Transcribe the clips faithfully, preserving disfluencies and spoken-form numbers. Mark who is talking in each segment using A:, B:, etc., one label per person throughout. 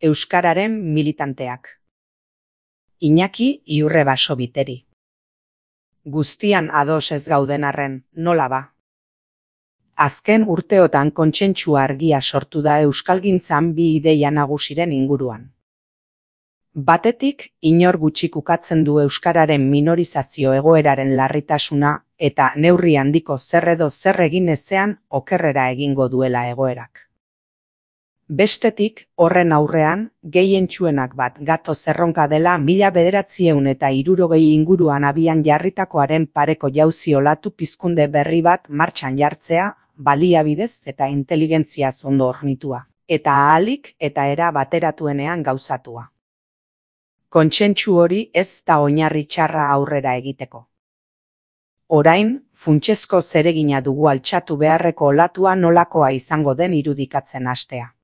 A: Euskararen militanteak. Iñaki Iurre Basobiteri. Guztian ados ez gauden arren, nola ba? Azken urteotan kontsentsu argia sortu da euskalgintzan bi ideia nagusiren inguruan. Batetik, inor gutxik ukatzen du euskararen minorizazio egoeraren larritasuna eta neurri handiko zer edo zer egin ezean okerrera egingo duela egoerak. Bestetik, horren aurrean, gehientsuenak bat gato zerronka dela mila bederatziehun eta hirurogei inguruan abian jarritakoaren pareko jauzi olatu pizkunde berri bat martxan jartzea, baliabidez eta inteligentziaz ondo hornitua, eta ahalik eta era bateratuenean gauzatua. Kontsentsu hori ez da oinarri txarra aurrera egiteko. Orain, funtsezko zeregina dugu altxatu beharreko olatua nolakoa izango den irudikatzen hastea.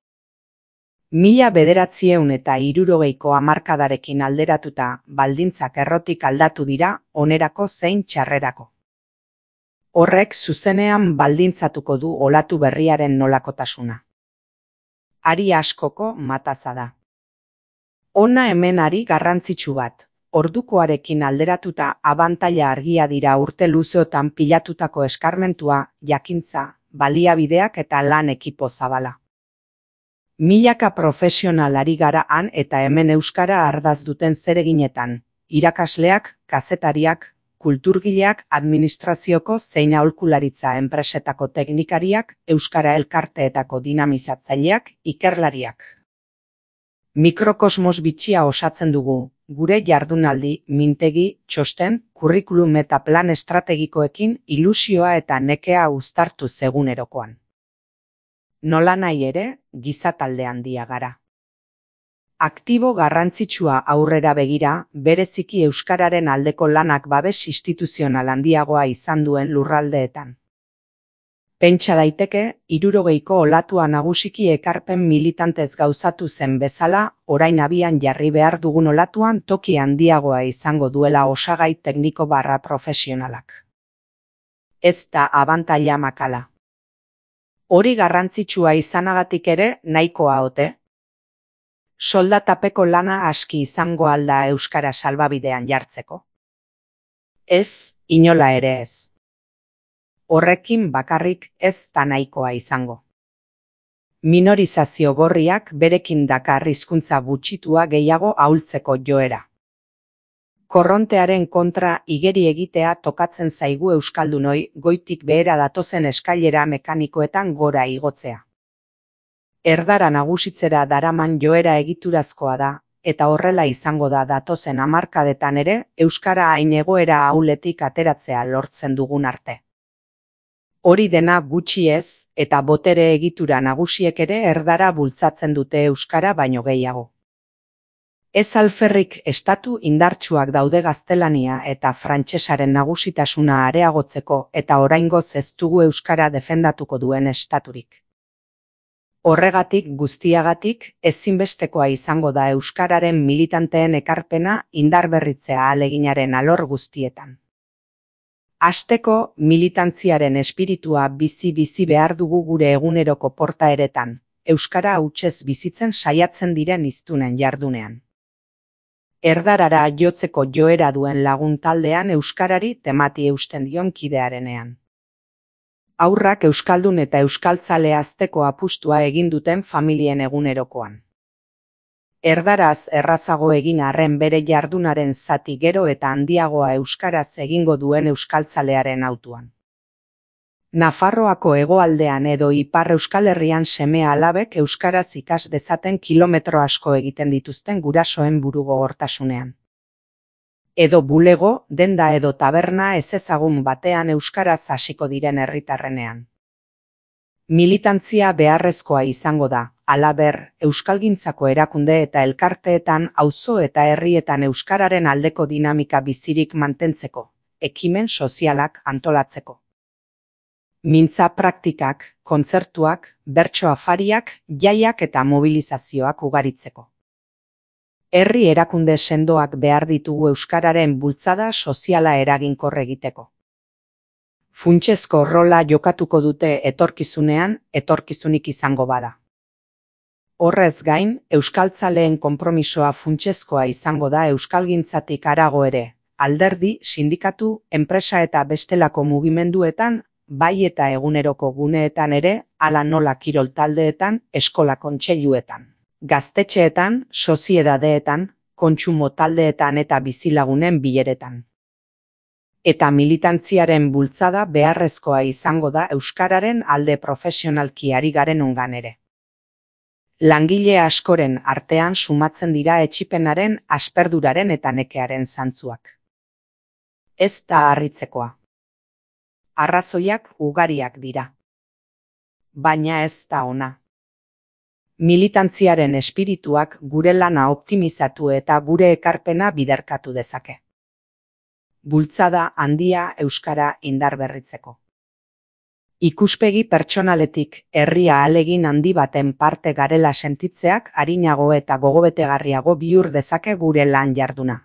A: Mila bederatziehun eta hirurogeiko hamarkadarekin alderatuta baldintzak errotik aldatu dira onerako zein txarrerako. Horrek zuzenean baldintzatuko du olatu berriaren nolakotasuna. Ari askoko mataza da. Hona hemen ari garrantzitsu bat, ordukoarekin alderatuta abantaila argia dira urte luzeotan pilatutako eskarmentua, jakintza, baliabideak eta lan ekipo zabala. Milaka profesional ari gara han eta hemen euskara ardaz duten zereginetan, irakasleak, kazetariak, kulturgileak, administrazioko zein aholkularitza enpresetako teknikariak, euskara elkarteetako dinamizatzaileak, ikerlariak. Mikrokosmos bitxia osatzen dugu, gure jardunaldi, mintegi, txosten, kurrikulum eta plan estrategikoekin ilusioa eta nekea uztartu egunerokoan. Nola nahi ere, giza talde handia gara. Aktibo garrantzitsua aurrera begira, bereziki euskararen aldeko lanak babes instituzional handiagoa izan duen lurraldeetan. Pentsa daiteke, hirurogeiko olatua nagusiki ekarpen militantez gauzatu zen bezala, orain abian jarri behar dugun olatuan toki handiagoa izango duela osagai tekniko barra profesionalak. Ez da abantaila makala. Hori garrantzitsua izanagatik ere nahikoa ote? Soldatapeko lana aski izango alda euskara salbabidean jartzeko? Ez, inola ere ez. Horrekin bakarrik ez da nahikoa izango. Minorizazio gorriak berekin dakar hizkuntza gutxitua gehiago ahultzeko joera. Korrontearen kontra igeri egitea tokatzen zaigu euskaldunoi goitik behera datozen eskailera mekanikoetan gora igotzea. Erdara nagusitzera daraman joera egiturazkoa da, eta horrela izango da datozen hamarkadetan ere euskara hain egoera ahuletik ateratzea lortzen dugun arte. Hori dena gutxi ez, eta botere egitura nagusiek ere erdara bultzatzen dute euskara baino gehiago. Ez alferrik estatu indartsuak daude gaztelania eta frantsesaren nagusitasuna areagotzeko eta oraingoz ez dugu euskara defendatuko duen estaturik. Horregatik guztiagatik ezinbestekoa izango da euskararen militanteen ekarpena indarberritzea ahaleginaren alor guztietan. Hasteko, militantziaren espiritua bizi-bizi behar dugu gure eguneroko portaeretan, euskara hutsez bizitzen saiatzen diren hiztunen jardunean. Erdarara jotzeko joera duen lagun taldean euskarari temati eusten dion kidearenean. Haurrak euskaldun eta euskaltzale hazteko apustua egin duten familien egunerokoan. Erdaraz errazago egin arren bere jardunaren zati gero eta handiagoa euskaraz egingo duen euskaltzalearen hautuan. Nafarroako hegoaldean edo Ipar Euskal Herrian seme alabek euskaraz ikas dezaten kilometro asko egiten dituzten gurasoen burugogortasunean. Edo bulego, denda edo taberna ezezagun batean euskaraz hasiko diren herritarrenean. Militantzia beharrezkoa izango da, halaber, euskalgintzako erakunde eta elkarteetan auzo eta herrietan euskararen aldeko dinamika bizirik mantentzeko, ekimen sozialak antolatzeko. Mintza praktikak, kontzertuak, bertso afariak, jaiak eta mobilizazioak ugaritzeko. Herri erakunde sendoak behar ditugu euskararen bultzada soziala eraginkor egiteko. Funtsezko rola jokatuko dute etorkizunean, etorkizunik izango bada. Horrez gain, euskaltzaleen konpromisoa funtsezkoa izango da euskalgintzatik harago ere, alderdi, sindikatu, enpresa eta bestelako mugimenduetan, bai eta eguneroko guneetan ere, hala nola kirol taldeetan, eskola kontseiluetan, gaztetxeetan, soziedadeetan, kontsumo taldeetan eta bizilagunen bileretan. Eta militantziaren bultzada beharrezkoa izango da euskararen alde profesionalki ari garen ongan ere. Langile askoren artean sumatzen dira etsipenaren, asperduraren eta nekearen zantzuak. Ez da harritzekoa. Arrazoiak ugariak dira. Baina ez da ona. Militantziaren espirituak gure lana optimizatu eta gure ekarpena biderkatu dezake. Bultzada handia euskara indarberritzeko. Ikuspegi pertsonaletik herria ahalegin handi baten parte garela sentitzeak arinago eta gogobetegarriago bihur dezake gure lan jarduna.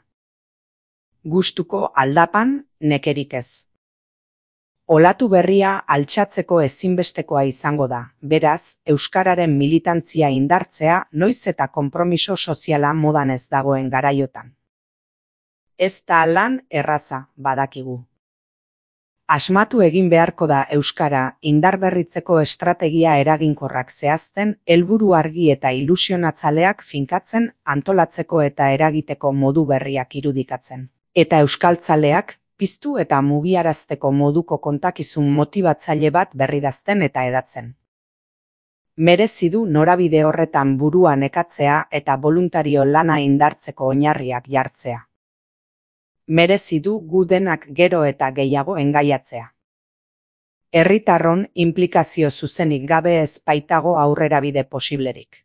A: Gustuko aldapan, nekerik ez. Olatu berria altxatzeko ezinbestekoa izango da, beraz, euskararen militantzia indartzea noiz eta konpromiso soziala modan ez dagoen garaiotan. Ez da lan erraza, badakigu. Asmatu egin beharko da euskara indarberritzeko estrategia eraginkorrak zehazten, helburu argi eta ilusionatzaleak finkatzen, antolatzeko eta eragiteko modu berriak irudikatzen. Eta euskaltzaleak, piztu eta mugiarazteko moduko kontakizun motibatzaile bat berridazten eta edatzen. Merezi du norabide horretan burua nekatzea eta boluntario lana indartzeko oinarriak jartzea. Merezi du gu denak gero eta gehiago engaiatzea. Herritarron inplikazio zuzenik gabe ez baitago aurrerabide posiblerik.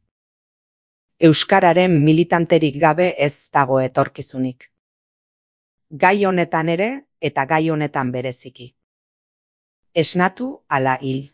A: Euskararen militanterik gabe ez dago etorkizunik. Gai honetan ere eta gai honetan bereziki. Esnatu ala hil.